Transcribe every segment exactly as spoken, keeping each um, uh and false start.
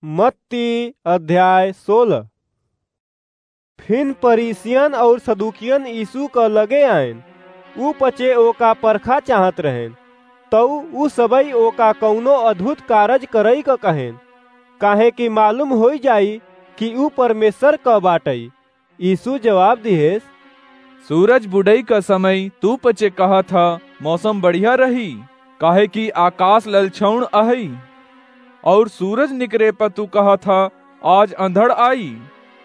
मत्ती अध्याय सोलह। फिन फरीसियन अउर सदूकियन यीशु क लगे आएन। ऊ पचे ओका परखा चाहत रहेन। तऊ ऊ सबई ओका कउनो अद्भुत कारज करई क कहेन, काहे कि मालूम होई जाई कि ऊ परमेश्वर क बाटई। यीशु जवाब दिहेस, सूरज बुड़ई क समय तू पचे कहत ह, मौसम बढ़िया रही, काहे कि आकाश ललछौन अहई। अउर सूरज निकरे प तू कहत ह, आज अंधड़ आई,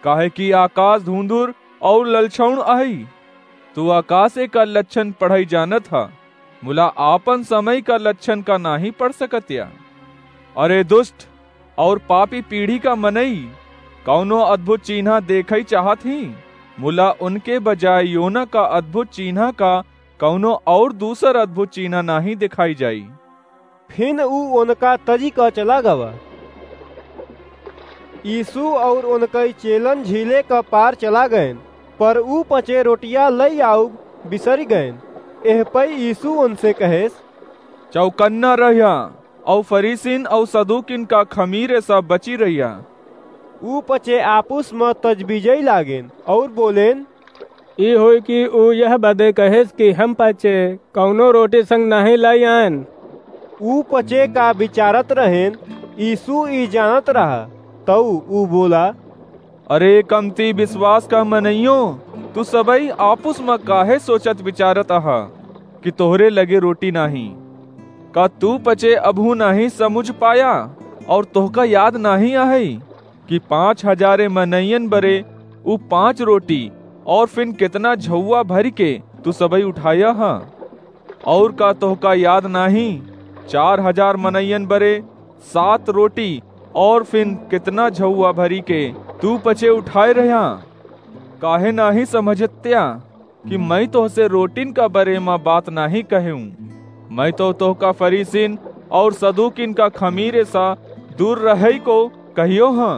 काहे कि आकाश धुंधुर अउर ललछौन अहई। तू आकाशे क लक्षण पढ़ई जानत ह, मुला आपन समय क लक्षण का नाहीं पढ़ सकत या। अरे दुष्ट अउर पापी पीढ़ी क मनई, कउनो अद्भुत चीन्हा देखई चाहत ही, मुला उनके बजाय योना क अद्भुत चीन्हा क कउनो अउर दूसर अद्भुत चीन्हा नाहीं देखाई जाई। फिन ऊ ओनका तजी क चला गवा। यीशु अउर ओनकई चेलन झीले क पार चला गएन, पर ऊ पचे रोटिया लई आउब बिसरि गएन। एह पई यीशु ओनसे कहेस, चौकन्ना रह्या, अउर फरीसिन अउर सदूकिन क खमीरे स बची रह्या। ऊ पचे आपुस म तजबीजई लागेन अउर बोलेन, ई होई कि ऊ यह बदे कहेस कि हम पचे कउनो रोटी संग नाहीं लाई आएन। ऊ पचे का बिचारत रहेन, यीशु ई जानत रहा, तऊ ऊ बोला, अरे कमती बिसवास क मनइयो, तू सबई आपुस म काहे सोचत बिचारत अहा कि तोहरे लगे रोटी नाहीं? का तू पचे अबहूँ नाहीं समुझ पाया अउर तोहका याद नाहीं अहई कि पाँच हजारे मनइयन बरे ऊ पाँच रोटी अउर फिन केतना झउवा भरिके तू सबई उठाया ह? अउर का तोहका याद नाहीं, चार हजार मनइयन बरे सात रोटी अउर फिन केतना झउवा भरिके तू पचे उठाए रह्या? काहे नाहीं समझत्या कि मइँ तोहसे रोटिन क बरे म बात नाहीं कहेउँ? मइँ तउ तोहका फरीसिन अउर सदूकिन क खमीरे स दूर रहई को कहियो हँ।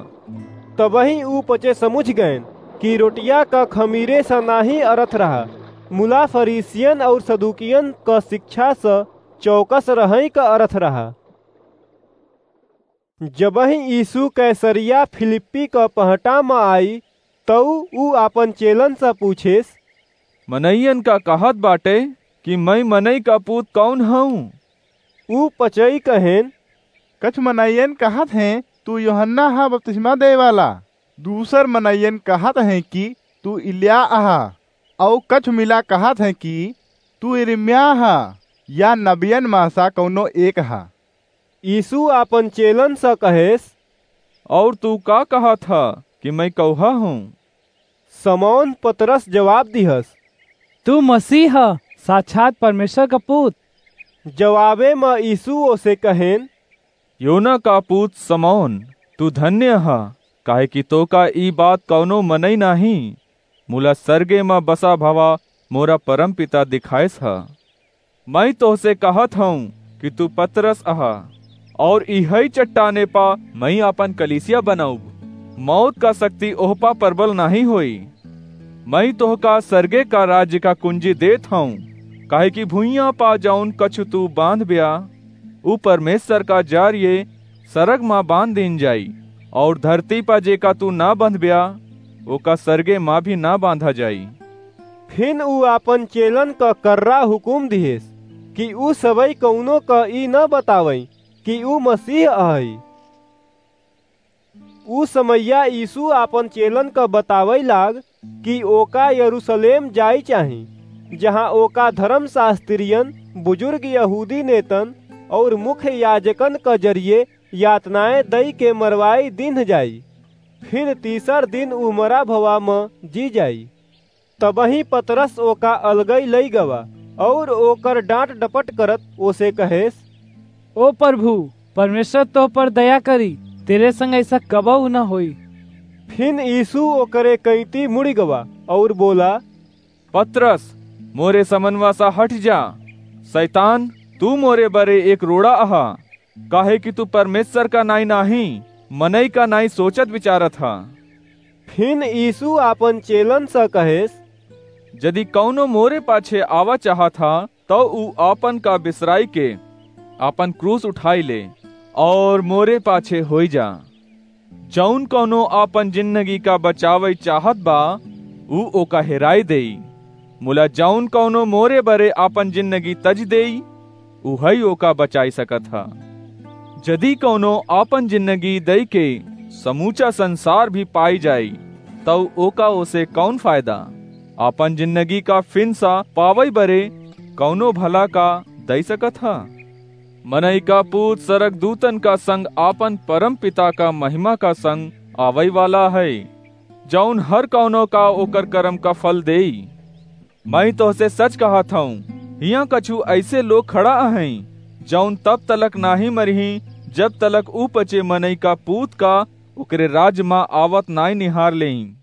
तबहीं ऊ पचे समुझ गएन कि रोटिया क खमीरे स नाहीं अरथ रहा, मुला फरीसियन अउर सदूकियन क सिक्षा स चौकस रहई क अरथ रहा। जबहीं यीशु कैसरिया फिलिप्पी क पहटा म आई, तऊ ऊ आपन चेलन स पूछेस, मनइयन का कहत बाटे कि मइँ मनई क पूत कउन हऊँ? ऊ पचई कहेन, कछ मनइयन कहत हैं, तू यूहन्ना ह बपतिस्मा देइ वाला, दूसर मनइयन कहत हैं कि तू इल्या अहा, अउ कछ मिला कहत हैं कि तू यिर्मयाह ह, या नबियन म स कउनो एक ह। यीशु आपन चेलन स कहेस, अउर तू का कहत ह कि मइँ कउहा हूँ? समौन पतरस जवाब दिहस, तू मसीह ह, साक्षात परमेश्वर क पूत। जवाबे म यीशु ओसे कहेन, योना क पूत समौन, तू धन्य ह, काहे कि तोका ई बात कउनो मनई नाहीं, मुला सरगे म बसा भवा मोरा परमपिता दिखाइस ह। मइँ तोहसे कहत हऊँ कि तू पतरस अहा, अउर इहई चट्टाने प मइँ आपन कलीसिया बनउब। मौत क सक्ति ओह प परबल नाहीं होई। मइँ तोहका सरगे क राज्य क कुंजी देत हऊँ, काहे कि भुइयाँ प जउन कछु तू बाँधब्या, ऊ परमेश्वर क जरिये सरग म बाँध दीन जाई, अउर धरती प जेका तू न बँधब्या, ओका सरगे म भी न बाँधा जाई। फिन ऊ आपन चेलन क कर्रा हुकुम दिहेस कि ऊ सबई कउनो क ई न बतावइँ कि ऊ मसीह अहई। ऊ समइया यीशु आपन चेलन क बतावइ लाग कि ओका यरूसलेम जाई चाही, जहाँ ओका धरम शास्त्रियन, बुजुर्ग यहूदी नेतन अउर मुख्य याजकन क जरिये यातनाएँ दइ के मरवाई दीन्ह जाई। फिन तीसर दिन ऊ मरा भवा म जी जाई। तबहीं पतरस ओका अलगइ लइ गवा, अउर ओकर डाँट डपट करत ओसे कहेस, ओ प्रभु, परमेश्वर तोह पर दया करी, तेरे संग अइसा कबहूँ न होई। फिन यीशु ओकरे कइँती मुड़ि गवा, अउर बोला, पतरस, मोरे समनवा स हटि जा, सैतान, तू मोरे बरे एक रोड़ा अहा, काहे कि तू परमेश्वर क नाईं नाहीं, मनई क नाईं सोचत बिचारत ह। फिन यीशु आपन चेलन स कहेस, जदि कउनो मोरे पाछे आवा चाहत ह, तउ ऊ आपन क बिसराइ के आपन क्रूस उठाइ ले, अउर मोरे पाछे होइ जा। जौन कौनो आपन जिन्नगी का बचावइ चाहत बा, ऊ ओका हेराइ देई। मुला जौन कौनो मोरे बरे आपन जिन्नगी तजि देई, उहइ ओका बचाइ सकत ह। जदि कौनो आपन जिन्नगी दइके समूचा संसार भी पाइ जाई, तउ ओका ओसे कौन फायदा? आपन जिन्नगी का फिनसा पावइ बरे कौनो भला का दइ सकत ह? मनई का पूत सरगदूतन का संग आपन परम पिता का महिमा का संग आवइ वाला हइ, जौन हर कौनो का ओकर करम का फल देई। मइँ तोहसे सच कहत हउँ, हियाँ कछु अइसे लोग खड़ा अहइँ, जौन तब तलक नाहीं मरिहीं, जब तलक ऊ पचे मनई का पूत का ओकरे राज मा आवत नाहीं निहार लेइँ।